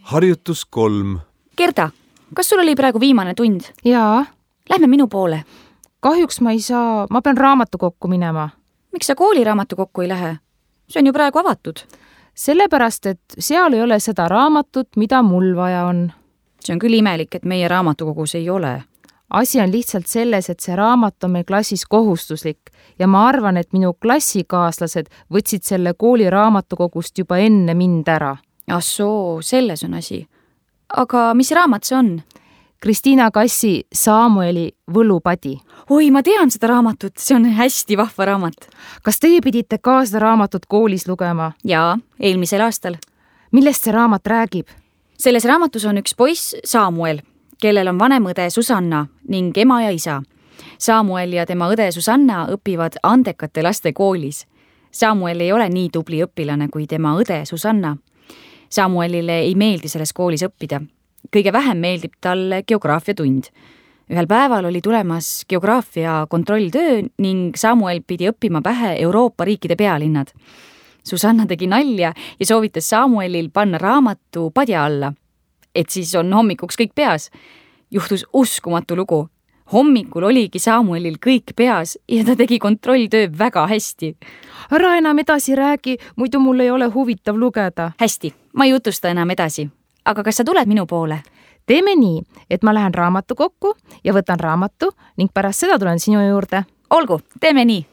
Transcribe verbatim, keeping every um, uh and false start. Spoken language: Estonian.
harjutus kolm. Gerda, kas sul oli praegu viimane tund? Jaa. Lähme minu poole. Kahjuks ma ei saa, ma pean raamatukokku minema. Miks sa kooli raamatukokku ei lähe? See on ju praegu avatud. Sellepärast, et seal ei ole seda raamatut, mida mul vaja on. See on küll imelik, et meie raamatukogus ei ole. Asi on lihtsalt selles, et see raamat on meil klassis kohustuslik ja ma arvan, et minu klassikaaslased võtsid selle kooli raamatukogust juba enne mind ära. Ah soo, selles on asi. Aga mis raamat see on? Kristiina Kassi Saamueli Võlupadi. Oi, ma tean seda raamatut, see on hästi vahva raamat. Kas teie pidite ka seda raamatut koolis lugema? Jaa, eelmisel aastal. Millest see raamat räägib? Selles raamatus on üks poiss Saamuel, kellel on vanem õde Susanna ning ema ja isa. Saamuel ja tema õde Susanna õpivad andekate laste koolis. Saamuel ei ole nii tubli õpilane kui tema õde Susanna. Saamuelile ei meeldi selles koolis õppida. Kõige vähem meeldib talle geograafia tund. Ühel päeval oli tulemas geograafia kontrolltöö ning Saamuel pidi õppima pähe Euroopa riikide pealinnad. Susanna tegi nalja ja soovitas Saamuelil panna raamatu padja alla, et siis on hommikuks kõik peas. Juhtus uskumatu lugu. Hommikul oligi Saamuelil kõik peas ja ta tegi kontrolltöö väga hästi. Ära enam edasi räägi, muidu mul ei ole huvitav lugeda. Hästi, ma ei jutusta enam edasi. Aga kas sa tuled minu poole? Teeme nii, et ma lähen raamatukokku ja võtan raamatu ning pärast seda tulen sinu juurde. Olgu, teeme nii.